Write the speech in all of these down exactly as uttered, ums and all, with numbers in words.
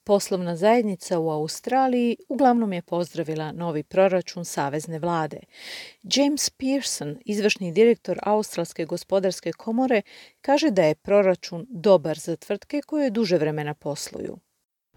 Poslovna zajednica u Australiji uglavnom je pozdravila novi proračun savezne vlade. James Pearson, izvršni direktor Australske gospodarske komore, kaže da je proračun dobar za tvrtke koje duže vremena posluju.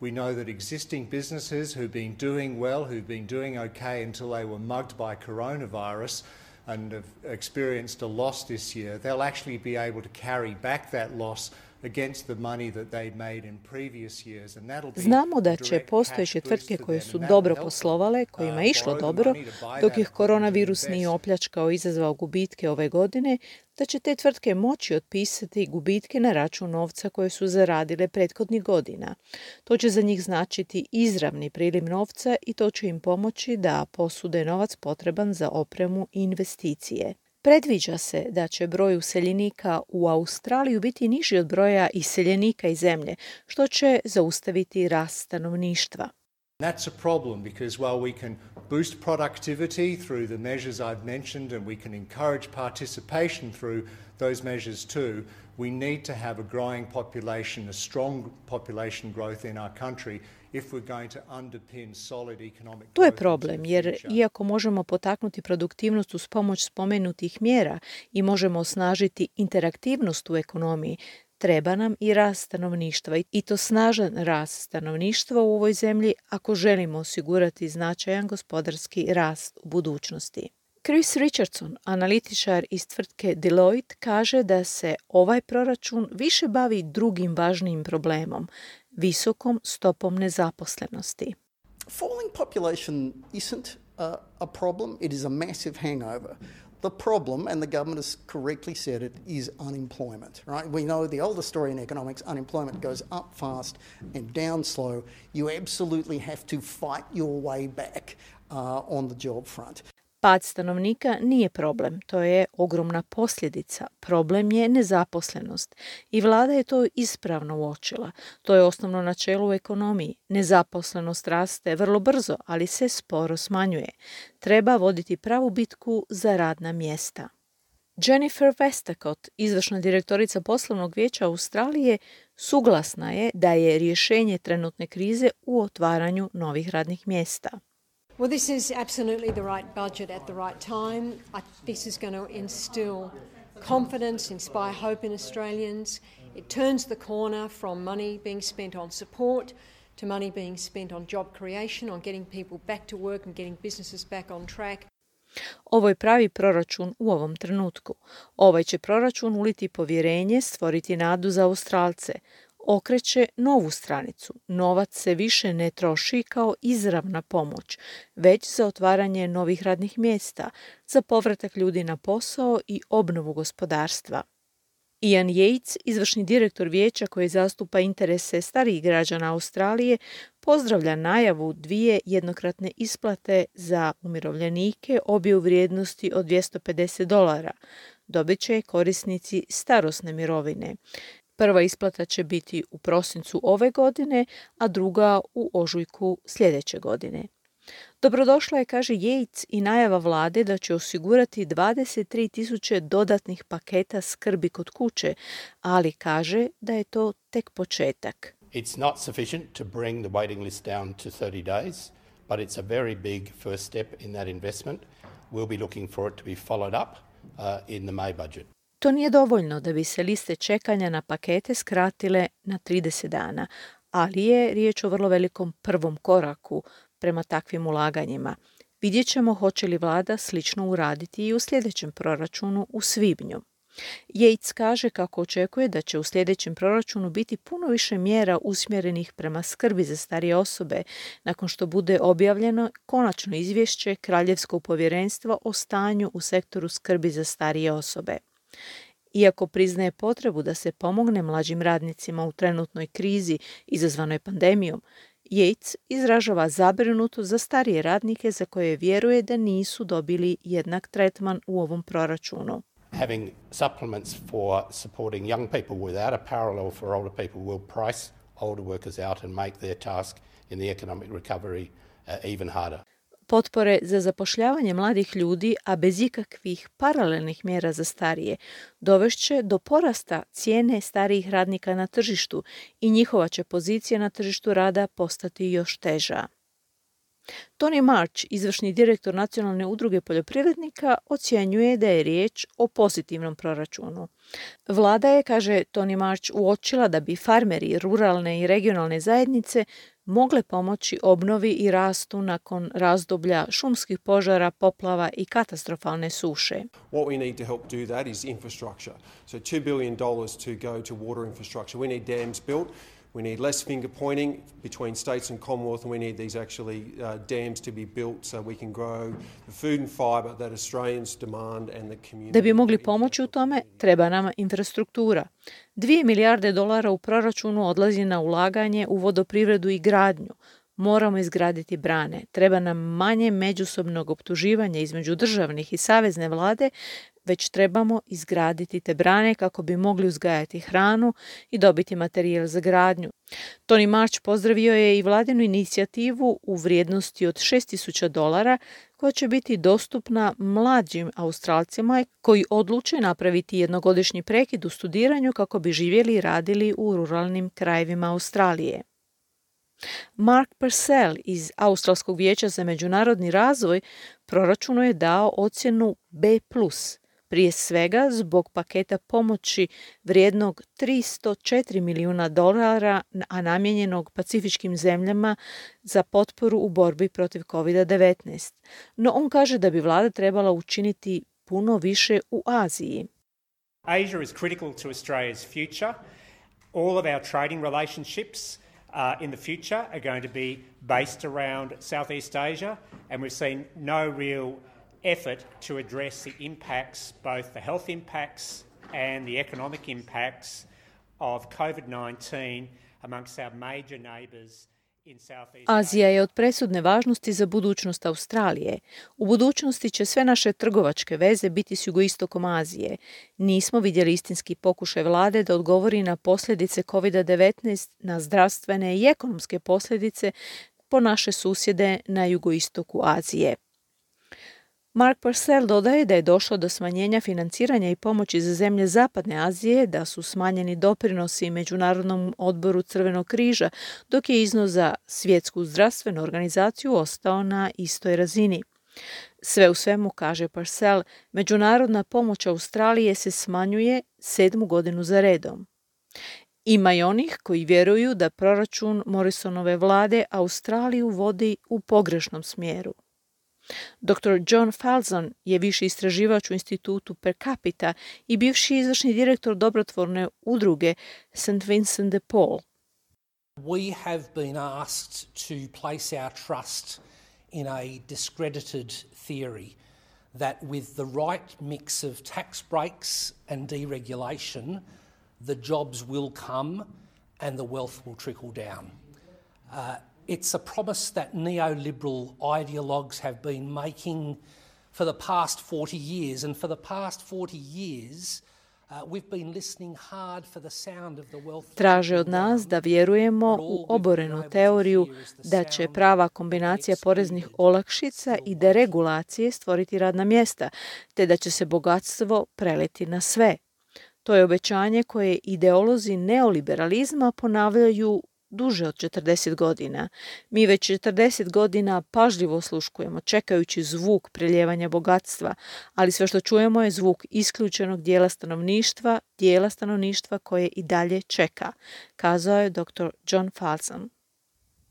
We know that existing businesses who've been doing well, who've been doing okay until they were mugged by coronavirus and have experienced a loss this year, they'll actually be able to carry back that loss against the money that they'd made in previous years, and that'll be. Znamo da će postojeće tvrtke koje su dobro poslovale, kojima je išlo dobro, dok ih koronavirus nije opljačkao i izazvao gubitke ove godine, da će te tvrtke moći otpisati gubitke na račun novca koje su zaradile prethodnih godina. To će za njih značiti izravni priliv novca i to će im pomoći da posude novac potreban za opremu i investicije. Predviđa se da će broj useljenika u Australiju biti niži od broja iseljenika iz zemlje, što će zaustaviti rast stanovništva. That's a problem because while we can boost productivity through the measures I've mentioned and we can encourage participation through those measures too, we need to have a growing population, a strong population growth in our country if we're going to underpin solid economic growth. To je problem, jer iako možemo potaknuti produktivnost uz pomoć spomenutih mjera i možemo osnažiti interaktivnost u ekonomiji, treba nam i rast stanovništva i to snažan rast stanovništva u ovoj zemlji ako želimo osigurati značajan gospodarski rast u budućnosti. Chris Richardson, analitičar iz tvrtke Deloitte, kaže da se ovaj proračun više bavi drugim važnijim problemom, visokom stopom nezaposlenosti. Falling population isn't a, a problem, it is a massive hangover. The problem, and the government has correctly said it, is unemployment, right? We know the older story in economics, unemployment goes up fast and down slow. You absolutely have to fight your way back uh, on the job front. Pad stanovnika nije problem, to je ogromna posljedica. Problem je nezaposlenost. I vlada je to ispravno uočila. To je osnovno načelo u ekonomiji. Nezaposlenost raste vrlo brzo, ali se sporo smanjuje. Treba voditi pravu bitku za radna mjesta. Jennifer Westacott, izvršna direktorica poslovnog vijeća Australije, suglasna je da je rješenje trenutne krize u otvaranju novih radnih mjesta. Well, this is absolutely the right budget at the right time. I, this is going to instill confidence, inspire hope in Australians. It turns the corner from money being spent on support to money being spent on job creation, on getting people back to work and getting businesses back on track. Ovo je pravi proračun u ovom trenutku. Ovaj će proračun uliti povjerenje, stvoriti nadu za Australce. Okreće novu stranicu. Novac se više ne troši kao izravna pomoć, već za otvaranje novih radnih mjesta, za povratak ljudi na posao i obnovu gospodarstva. Ian Yates, izvršni direktor vijeća koji zastupa interese starijih građana Australije, pozdravlja najavu dvije jednokratne isplate za umirovljenike, obje u vrijednosti od dvjesto pedeset dolara. Dobit će korisnici starosne mirovine. Prva isplata će biti u prosincu ove godine, a druga u ožujku sljedeće godine. Dobrodošla je, kaže Yates, i najava vlade da će osigurati dvadeset tri tisuće dodatnih paketa skrbi kod kuće, ali kaže da je to tek početak. It's not sufficient to bring the waiting list down to thirty days, but it's a very big first step in that investment. We'll be looking for it to be followed up uh, in the May budget. To nije dovoljno da bi se liste čekanja na pakete skratile na trideset dana, ali je riječ o vrlo velikom prvom koraku prema takvim ulaganjima. Vidjet ćemo hoće li vlada slično uraditi i u sljedećem proračunu u svibnju. Yates kaže kako očekuje da će u sljedećem proračunu biti puno više mjera usmjerenih prema skrbi za starije osobe nakon što bude objavljeno konačno izvješće Kraljevskog povjerenstva o stanju u sektoru skrbi za starije osobe. Iako priznaje potrebu da se pomogne mlađim radnicima u trenutnoj krizi izazvanoj pandemijom, Yates izražava zabrinutost za starije radnike za koje vjeruje da nisu dobili jednak tretman u ovom proračunu. Having supplements for supporting young people without a parallel for older people will price older workers out and make their task in the economic recovery uh, even harder. potpore za zapošljavanje mladih ljudi, a bez ikakvih paralelnih mjera za starije, dovešće do porasta cijene starijih radnika na tržištu i njihova će pozicija na tržištu rada postati još teža. Tony March, izvršni direktor Nacionalne udruge poljoprivrednika, ocjenjuje da je riječ o pozitivnom proračunu. Vlada je, kaže Tony March, uočila da bi farmeri, ruralne i regionalne zajednice mogle pomoći obnovi i rastu nakon razdoblja šumskih požara, poplava i katastrofalne suše. What we need to help do that is infrastructure. So two billion dollars to go to water infrastructure. We need dams built. We need less finger pointing between states and Commonwealth, and we need these actually uh, dams to be built so we can grow the food and fibre that Australians demand and the community. Da bi mogli pomoći u tome, treba nam infrastruktura. Dvije milijarde dolara u proračunu odlazi na ulaganje u vodoprivredu i gradnju. Moramo izgraditi brane. Treba nam manje međusobnog optuživanja između državnih i savezne vlade, već trebamo izgraditi te brane kako bi mogli uzgajati hranu i dobiti materijal za gradnju. Tony March pozdravio je i vladinu inicijativu u vrijednosti od šest tisuća dolara koja će biti dostupna mlađim Australcima koji odluče napraviti jednogodišnji prekid u studiranju kako bi živjeli i radili u ruralnim krajevima Australije. Mark Purcell iz Australskog vijeća za međunarodni razvoj proračunu je dao ocjenu B plus, prije svega zbog paketa pomoći vrijednog tristo četiri milijuna dolara, a namijenjenog pacifičkim zemljama za potporu u borbi protiv kovid devetnaest. No on kaže da bi vlada trebala učiniti puno više u Aziji. Asia is critical to Australia's future. All of our trading relationships Uh, in the future are going to be based around Southeast Asia, and we've seen no real effort to address the impacts, both the health impacts and the economic impacts of covid nineteen amongst our major neighbours in Southeast Asia. Azija je od presudne važnosti za budućnost Australije. U budućnosti će sve naše trgovačke veze biti s jugoistokom Azije. Nismo vidjeli istinski pokušaj vlade da odgovori na posljedice kovid devetnaest, na zdravstvene i ekonomske posljedice po naše susjede na jugoistoku Azije. Mark Purcell dodaje da je došlo do smanjenja financiranja i pomoći za zemlje Zapadne Azije, da su smanjeni doprinosi Međunarodnom odboru Crvenog križa, dok je iznos za Svjetsku zdravstvenu organizaciju ostao na istoj razini. Sve u svemu, kaže Purcell, međunarodna pomoć Australije se smanjuje sedmu godinu za redom. Ima i onih koji vjeruju da proračun Morrisonove vlade Australiju vodi u pogrešnom smjeru. doktor John Falzon je viši istraživač u institutu Per Capita i bivši izvršni direktor dobrotvorne udruge Saint Vincent de Paul. We have been asked to place our trust in a discredited theory that with the right mix of tax breaks and deregulation, the jobs will come and the wealth will trickle down. Uh, It's a promise that neoliberal ideologues have been making for the past forty years, and for the past forty years uh, we've been listening hard for the sound of the wealth. Traže od nas da vjerujemo u oborenu teoriju da će prava kombinacija poreznih olakšica i deregulacije stvoriti radna mjesta, te da će se bogatstvo preliti na sve. To je obećanje koje ideolozi neoliberalizma ponavljaju duže od četrdeset godina. Mi već četrdeset godina pažljivo osluškujemo, čekajući zvuk preljevanja bogatstva, ali sve što čujemo je zvuk isključenog dijela stanovništva, dijela stanovništva koje i dalje čeka, kazao je doktor John Falzon.